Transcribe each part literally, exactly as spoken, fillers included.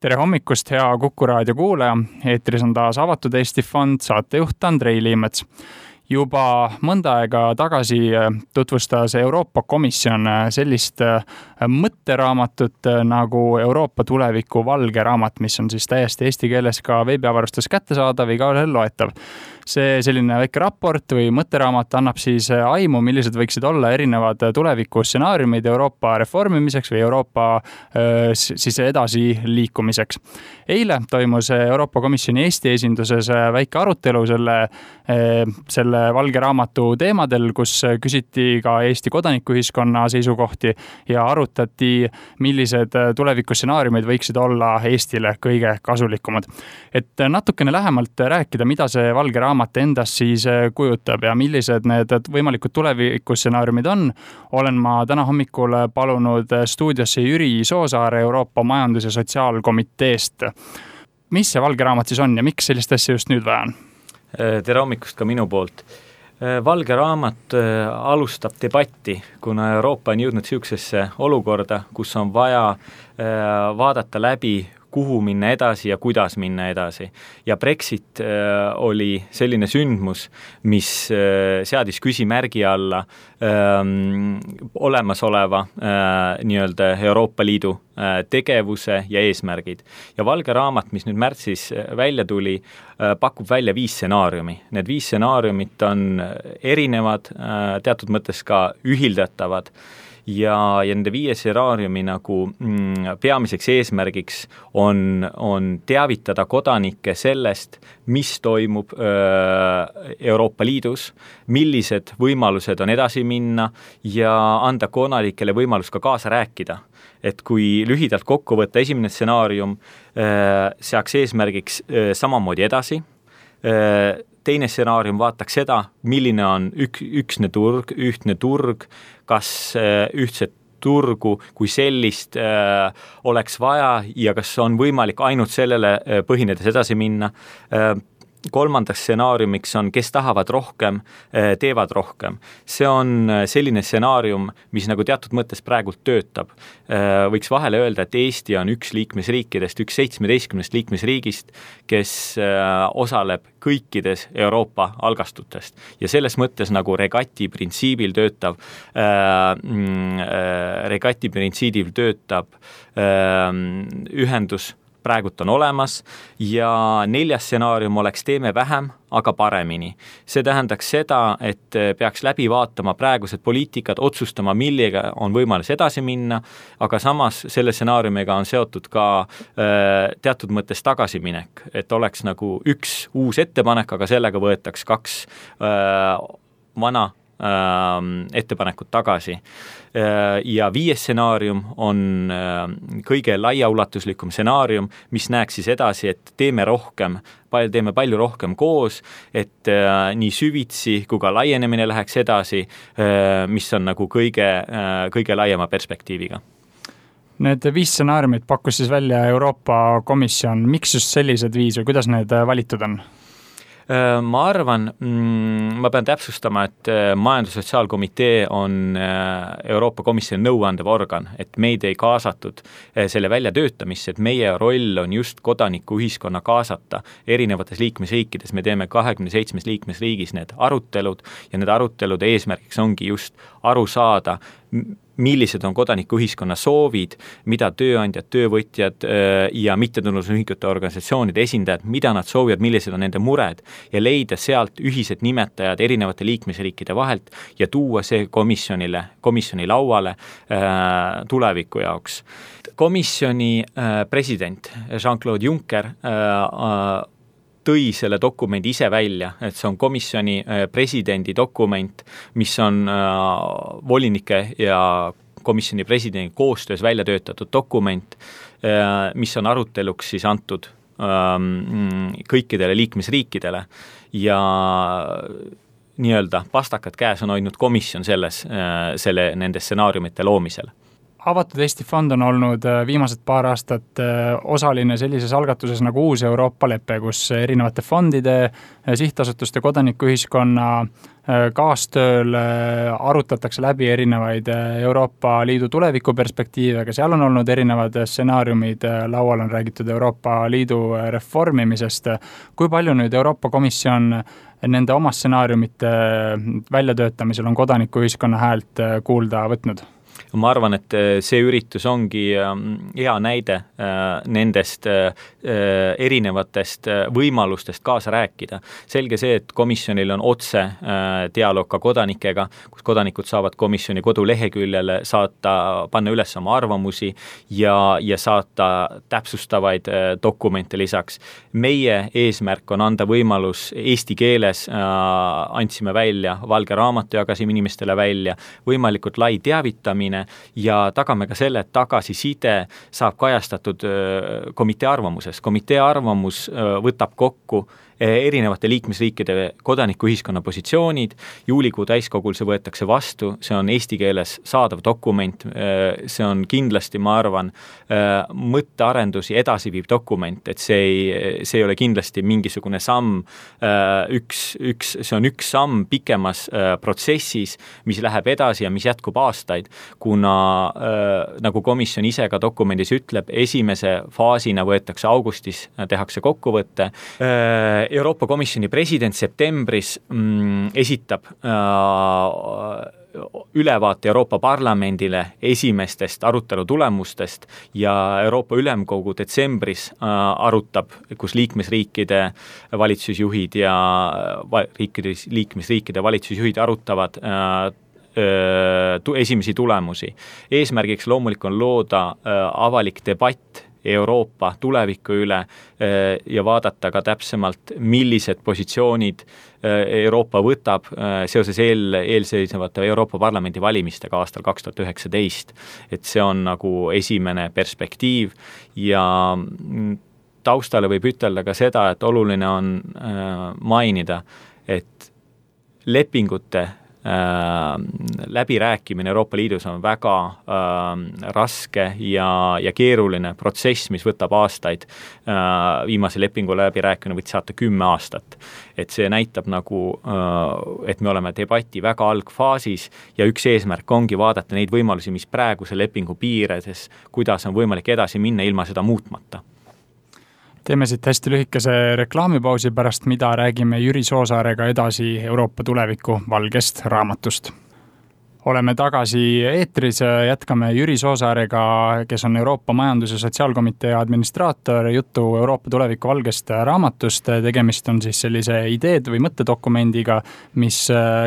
Tere hommikust, hea Kuku raadio kuulaja. Eetris on taas Avatud Eesti Fond, saatejuht Andrei Liimets. Juba mõnda aega tagasi tutvustas Euroopa Komisjon sellist mõtteraamatut nagu Euroopa tuleviku valge raamat, mis on siis täiesti eesti keeles ka veebiavarustus kättesaadav ja igaühel loetav. See selline väike raport või mõtteraamat annab siis aimu, millised võiksid olla erinevad tuleviku stsenaariumid Euroopa reformimiseks või Euroopa siis edasi liikumiseks. Eile toimus Euroopa Komisjoni Eesti esinduses väike arutelu selle, selle valge raamatu teemadel, kus küsiti ka Eesti kodanikuühiskonna seisukohti ja arutati, millised tuleviku stsenaariumid võiksid olla Eestile kõige kasulikumad. Et natukene lähemalt rääkida, mida see valge raamat endast siis kujutab ja millised need võimalikud tuleviku stsenaariumid on, olen ma täna hommikul palunud stuudiosse Jüri Soosaare Euroopa Majandus- ja Sotsiaalkomiteest. Mis see valge raamat siis on ja miks sellist asja just nüüd vaja on? Tere hommikust ka minu poolt. Valge raamat alustab debatti, kuna Euroopa on jõudnud siuksesse olukorda, kus on vaja vaadata läbi, kuhu minna edasi ja kuidas minna edasi. Ja Brexit äh, oli selline sündmus, mis äh, seadis küsimärgi alla ähm, olemasoleva äh, nii-öelda Euroopa Liidu äh, tegevuse ja eesmärgid. Ja valge raamat, mis nüüd märtsis välja tuli, äh, pakub välja viis stsenaariumi. Need viis stsenaariumit on erinevad, äh, teatud mõttes ka ühildatavad. Ja, ja nende viie stsenaariumi nagu mm, peamiseks eesmärgiks on, on teavitada kodanikke sellest, mis toimub öö, Euroopa Liidus, millised võimalused on edasi minna ja anda kodanikele võimalus ka kaasa rääkida. Et kui lühidalt kokku võtta esimene stsenaarium, öö, seaks eesmärgiks öö, samamoodi edasi, öö, teine stsenaarium vaataks seda, milline on ük, üksne turg, ühtne turg, kas ühtset turgu kui sellist äh, oleks vaja ja kas on võimalik ainult sellele äh, põhinedes edasi minna. Äh, kolmandaks stsenaariumiks on, kes tahavad rohkem, teevad rohkem. See on selline stsenaarium, mis nagu teatud mõttes praegult töötab. Võiks vahele öelda, et Eesti on üks liikmesriikidest, üks seitsmeteistkümnest liikmesriigist, kes osaleb kõikides Euroopa algastutest. Ja selles mõttes nagu regati printsiibil töötab, regati printsiibil töötab ühendus praegult on olemas ja neljas stsenaarium oleks teeme vähem, aga paremini. See tähendaks seda, et peaks läbi vaatama praegused poliitikad, otsustama, millega on võimalus edasi minna, aga samas selle stsenaariumiga on seotud ka äh, teatud mõttes tagasiminek, et oleks nagu üks uus ettepanek, aga sellega võetaks kaks äh, vana ettepanekut tagasi. Ja viies stsenaarium on kõige laiaulatuslikum stsenaarium, mis näeks siis edasi, et teeme rohkem, teeme palju rohkem koos, et nii süvitsi kui ka laienemine läheks edasi, mis on nagu kõige, kõige laiema perspektiiviga. Need viis stsenaariumid pakkus siis välja Euroopa Komisjon. Miks just sellised viis või kuidas need valitud on? Ma arvan, ma pean täpsustama, et Majandus- ja Sotsiaalkomitee on Euroopa Komisjoni nõuandev organ, et meid ei kaasatud selle väljatöötamisse, et meie roll on just kodanikuühiskonna kaasata erinevates liikmesriikides. Me teeme kahekümne seitsmes liikmesriigis need arutelud ja need arutelude eesmärgiks ongi just aru saada, millised on kodanikuühiskonna soovid, mida tööandjad, töövõtjad ja mittetulundusühingute organisatsioonide esindajad, mida nad soovivad, millised on nende mured ja leida sealt ühised nimetajad erinevate liikmesriikide vahelt ja tuua see komisjonile, komisjoni lauale äh, tuleviku jaoks. Komisjoni äh, president Jean-Claude Juncker äh, tõi selle dokumendi ise välja, et see on komisjoni presidendi dokument, mis on volinike ja komisjoni presidendi koostöös välja töötatud dokument, mis on aruteluks siis antud kõikidele liikmesriikidele ja nii-öelda pastakad käes on hoidnud komisjon selles, selle, nende stsenaariumite loomisel. Avatud Eesti Fond on olnud viimased paar aastat osaline sellises algatuses nagu Uus Euroopa lepe, kus erinevate fondide, sihtasutuste, kodanikuühiskonna kaastööl arutatakse läbi erinevaid Euroopa Liidu tuleviku perspektiive, aga seal on olnud erinevad stsenaariumid, laual on räägitud Euroopa Liidu reformimisest. Kui palju nüüd Euroopa Komisjon nende oma stsenaariumite väljatöötamisel on kodanikuühiskonna häält kuulda võtnud? Ma arvan, et see üritus ongi hea näide nendest erinevatest võimalustest kaasa rääkida. Selge see, et komisjonil on otse dialoog ka kodanikega, kus kodanikud saavad komisjoni koduleheküljele saata, panna üles oma arvamusi ja, ja saata täpsustavaid dokumente lisaks. Meie eesmärk on anda võimalus eesti keeles, andsime välja, valge raamatu jagasime inimestele välja, võimalikult lai teavitamine ja tagame ka selle, et tagasiside saab kajastatud komitee arvamuses. Komitee arvamus võtab kokku erinevate liikmesriikide kodanikuühiskonna positsioonid, juulikuu täiskogul see võetakse vastu, see on eesti keeles saadav dokument, see on kindlasti, ma arvan, mõttearendusi edasiviiv dokument, et see ei, see ei ole kindlasti mingisugune samm, üks, üks, see on üks samm pikemas protsessis, mis läheb edasi ja mis jätkub aastaid, kuna nagu komisjon ise ka dokumendis ütleb, esimese faasina võetakse augustis, tehakse kokkuvõtte. Euroopa Komisjoni president septembris mm, esitab äh, ülevaate Euroopa Parlamendile esimestest arutelu tulemustest ja Euroopa Ülemkogu detsembris äh, arutab, kus liikmesriikide valitsusjuhid ja va, riikide, liikmesriikide valitsusjuhid arutavad äh, esimesi tulemusi. Eesmärgiks loomulik on looda äh, avalik debatt Euroopa tuleviku üle ja vaadata ka täpsemalt, millised positsioonid Euroopa võtab seoses eel, eelseisvate Euroopa Parlamendi valimistega aastal kaks tuhat üheksateist. Et see on nagu esimene perspektiiv ja taustale võib ütelda ka seda, et oluline on mainida, et lepingute läbirääkimine Euroopa Liidus on väga äh, raske ja, ja keeruline protsess, mis võtab aastaid. Äh, viimase lepingu läbirääkimine võiks saata kümme aastat. Et see näitab nagu, äh, et me oleme debati väga algfaasis ja üks eesmärk ongi vaadata neid võimalusi, mis praeguse lepingu piiredes, kuidas on võimalik edasi minna ilma seda muutmata. Teeme siit hästi lühikese reklaamipausi pärast, mida räägime Jüri Soosaarega edasi Euroopa tuleviku valgest raamatust. Oleme tagasi eetris, jätkame Jüri Soosaarega, kes on Euroopa Majandus- ja Sotsiaalkomitee administraator, juttu Euroopa tuleviku valgest raamatust. Tegemist on siis sellise ideed või mõttedokumendiga, mis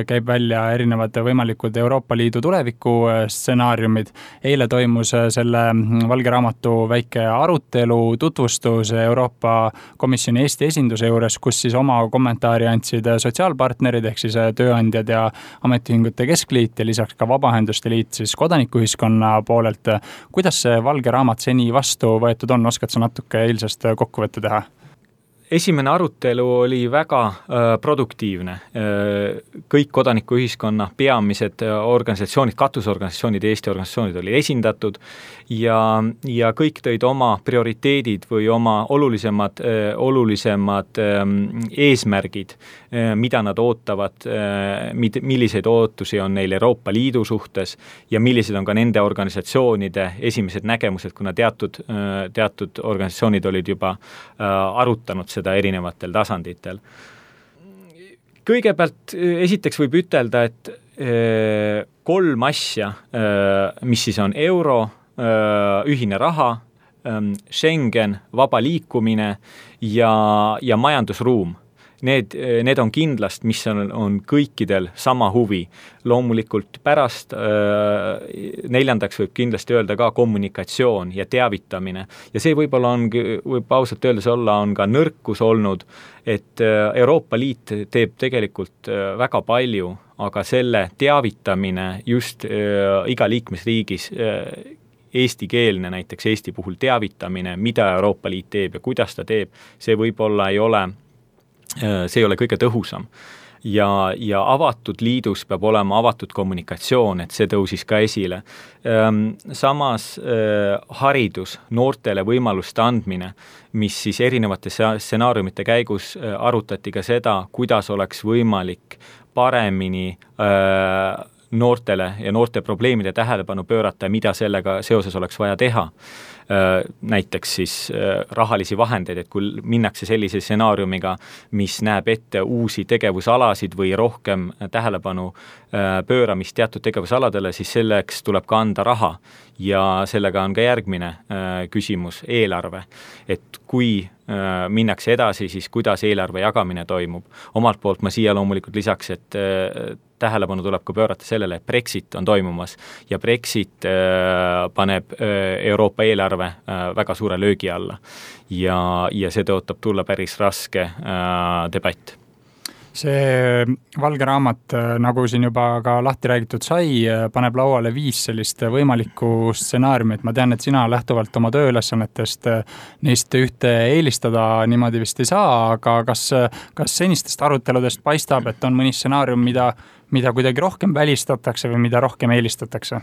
käib välja erinevad võimalikud Euroopa Liidu tuleviku stsenaariumid. Eile toimus selle valge raamatu väike arutelu, tutvustus Euroopa Komisjoni Eesti esinduse juures, kus siis oma kommentaari andsid sotsiaalpartnerid ehk siis tööandjad ja ametiühingute keskliit ja lisaks ka Vabaühenduste Liit siis kodanikuühiskonna poolelt. Kuidas see valge raamat seni vastu võetud on? Oskad sa natuke eilsest kokkuvõtte teha? Esimene arutelu oli väga äh, produktiivne. Äh, kõik kodanikuühiskonna peamised organisatsioonid, katusorganisatsioonid, Eesti organisatsioonid olid esindatud ja, ja kõik tõid oma prioriteedid või oma olulisemad, äh, olulisemad äh, eesmärgid, äh, mida nad ootavad, äh, mid, milliseid ootusi on neil Euroopa Liidu suhtes ja millised on ka nende organisatsioonide esimesed nägemused, kuna teatud, äh, teatud organisatsioonid olid juba äh, arutanud seda erinevatel tasanditel. Kõigepealt esiteks võib ütelda, et kolm asja, mis siis on euro, ühine raha, Schengen, vaba liikumine ja, ja majandusruum. Need, need on kindlast, mis on, on kõikidel sama huvi. Loomulikult pärast äh, neljandaks võib kindlasti öelda ka kommunikatsioon ja teavitamine. Ja see võib-olla on, võib ausalt öeldes olla, on ka nõrkus olnud, et äh, Euroopa Liit teeb tegelikult äh, väga palju, aga selle teavitamine just äh, iga liikmesriigis äh, eestikeelne, näiteks Eesti puhul teavitamine, mida Euroopa Liit teeb ja kuidas ta teeb, see võib-olla ei ole see ei ole kõige tõhusam. ja, ja avatud liidus peab olema avatud kommunikatsioon, et see tõusis ka esile. Samas haridus, noortele võimaluste andmine, mis siis erinevate stsenaariumite käigus arutati ka seda, kuidas oleks võimalik paremini noortele ja noorte probleemide tähelepanu pöörata ja mida sellega seoses oleks vaja teha. Näiteks siis rahalisi vahendeid, et kui minnakse sellise stsenaariumiga, mis näeb ette uusi tegevusalasid või rohkem tähelepanu pööramist teatud tegevusaladele, siis selleks tuleb ka anda raha. Ja sellega on ka järgmine küsimus, eelarve. Et kui minnakse edasi, siis kuidas eelarve jagamine toimub. Omalt poolt ma siia loomulikult lisaks, et tähelepanu tuleb ka pöörata sellele, et Brexit on toimumas ja Brexit paneb Euroopa eelarve väga suure löögi alla ja, ja see tõotab tulla päris raske debatt. See valge raamat, nagu siin juba ka lahti räägitud sai, paneb lauale viis sellist võimalikku stsenaariumit. Ma tean, et sina lähtuvalt oma tööülesannetest neist ühte eelistada niimoodi vist ei saa, aga kas, kas senistest aruteludest paistab, et on mõni stsenaarium, mida, mida kuidagi rohkem välistatakse või mida rohkem eelistatakse?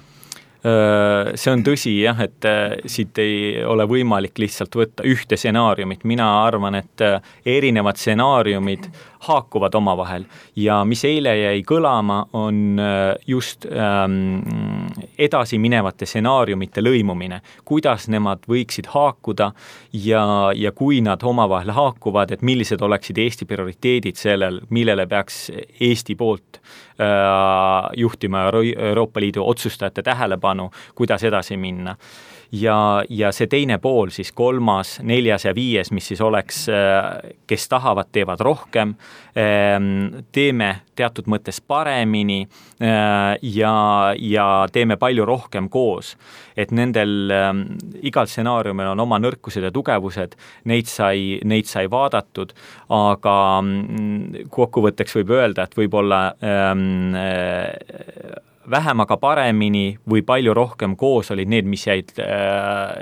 See on tõsi jah, et siit ei ole võimalik lihtsalt võtta ühte stsenaariumit. Mina arvan, et erinevad stsenaariumid haakuvad omavahel ja mis eile jäi kõlama, on just ähm, edasi minevate stsenaariumite lõimumine, kuidas nemad võiksid haakuda ja, ja kui nad omavahel haakuvad, et millised oleksid Eesti prioriteedid sellel, millele peaks Eesti poolt äh, juhtima Euroopa Liidu otsustajate tähelepanu, kuidas edasi minna. Ja, ja see teine pool, siis kolmas, neljas ja viies, mis siis oleks, kes tahavad, teevad rohkem, teeme teatud mõttes paremini ja, ja teeme palju rohkem koos. Et nendel igal stsenaariumil on oma nõrkused ja tugevused, neid sai, neid sai vaadatud, aga kokkuvõtteks võib öelda, et võib-olla ähm, vähem aga paremini või palju rohkem koos olid need, mis jäid,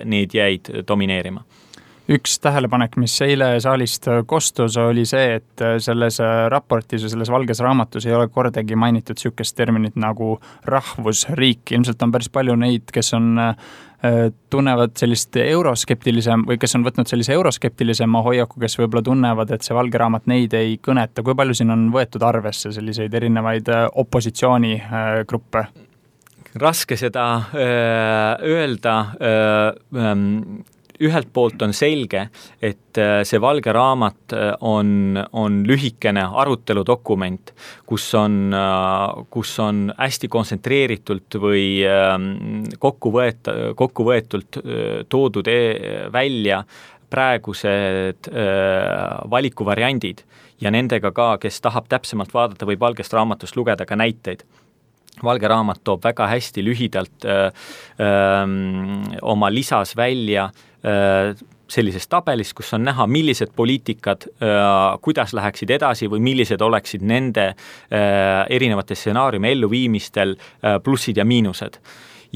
need jäid domineerima. Üks tähelepanek, mis eile saalist kostus, oli see, et selles raportis ja selles valges raamatus ei ole kordagi mainitud sükest terminit nagu rahvusriik. Ilmselt on päris palju neid, kes on tunnevad sellist euroskeptilisem või kes on võtnud sellise euroskeptilisema hoiaku, kes võib-olla tunnevad, et see valge raamat neid ei kõneta. Kui palju siin on võetud arvesse selliseid erinevaid opositsioonigruppe? Raske seda öelda. Ühelt poolt on selge, et see valge raamat on, on lühikene aruteludokument, kus on, kus on hästi kontsentreeritult või kokku, võeta, kokku võetult toodud välja praegused valikuvariandid ja nendega ka, kes tahab täpsemalt vaadata või valgest raamatust lugeda ka näiteid. Valge raamat toob väga hästi lühidalt öö, öö, oma lisas välja öö, sellises tabelis, kus on näha, millised poliitikad, öö, kuidas läheksid edasi või millised oleksid nende öö, erinevate stsenaariumi elluviimistel öö, plussid ja miinused.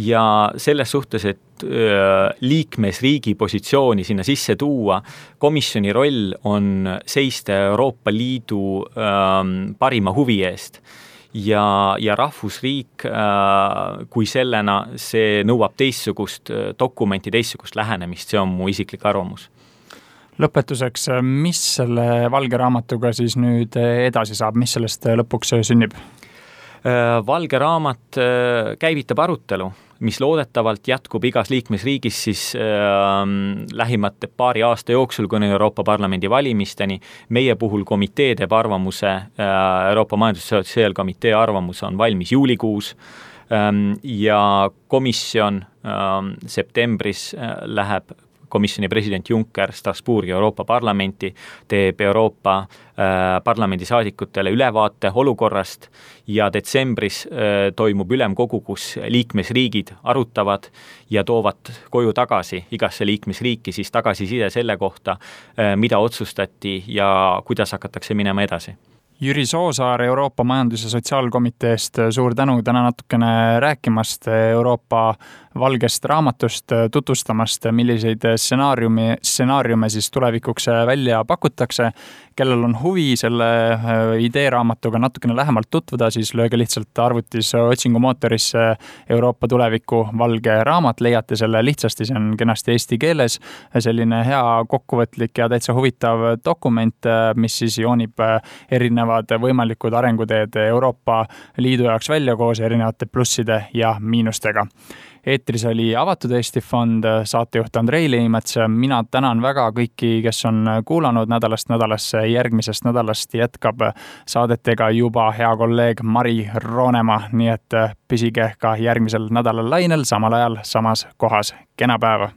Ja selles suhtes, et öö, liikmesriigi positsiooni sinna sisse tuua, komisjoni roll on seista Euroopa Liidu öö, parima huvi eest. Ja, ja rahvusriik äh, kui sellena, see nõuab teistsugust dokumenti, teistsugust lähenemist, see on mu isiklik arvamus. Lõpetuseks, mis selle valge raamatuga siis nüüd edasi saab, mis sellest lõpuks sünnib? Valge raamat käivitab arutelu, mis loodetavalt jätkub igas liikmesriigis siis äh, lähimate paari aasta jooksul, kuni Euroopa Parlamendi valimisteni. Meie puhul komitee teeb arvamuse, äh, Euroopa Majandus- ja Sotsiaalkomitee arvamus on valmis juulikuus ähm, ja komisjon äh, septembris äh, läheb komisjoni president Juncker Strasbourgi Euroopa Parlamenti, teeb Euroopa äh, parlamendi saadikutele ülevaate olukorrast ja detsembris äh, toimub ülemkogu, kus liikmesriigid arutavad ja toovad koju tagasi igasse liikmesriiki siis tagasiside selle kohta, äh, mida otsustati ja kuidas hakatakse minema edasi. Jüri Soosaar Euroopa Majandus- ja Sotsiaalkomiteest, suur tänu täna natukene rääkimast Euroopa valgest raamatust tutvustamast, milliseid stsenaariumi, stsenaariume siis tulevikuks välja pakutakse. Kellel on huvi selle ideeraamatuga natukene lähemalt tutvuda, siis lööge lihtsalt arvutis otsingumootorisse Euroopa tuleviku valge raamat, leiate selle lihtsasti, see on kenasti eesti keeles, selline hea kokkuvõtlik ja täitsa huvitav dokument, mis siis joonib erinevad võimalikud arenguteed Euroopa Liidu jaoks välja koos erinevate plusside ja miinustega. Eetris oli Avatud Eesti Fond, saatejuht Andrei Leimets. Mina tänan väga kõiki, kes on kuulanud nädalast nädalasse. Järgmisest nädalast jätkab saadetega juba hea kolleeg Mari Roonemaa, nii et püsige ka järgmisel nädalal lainel, samal ajal samas kohas. Kena päeva!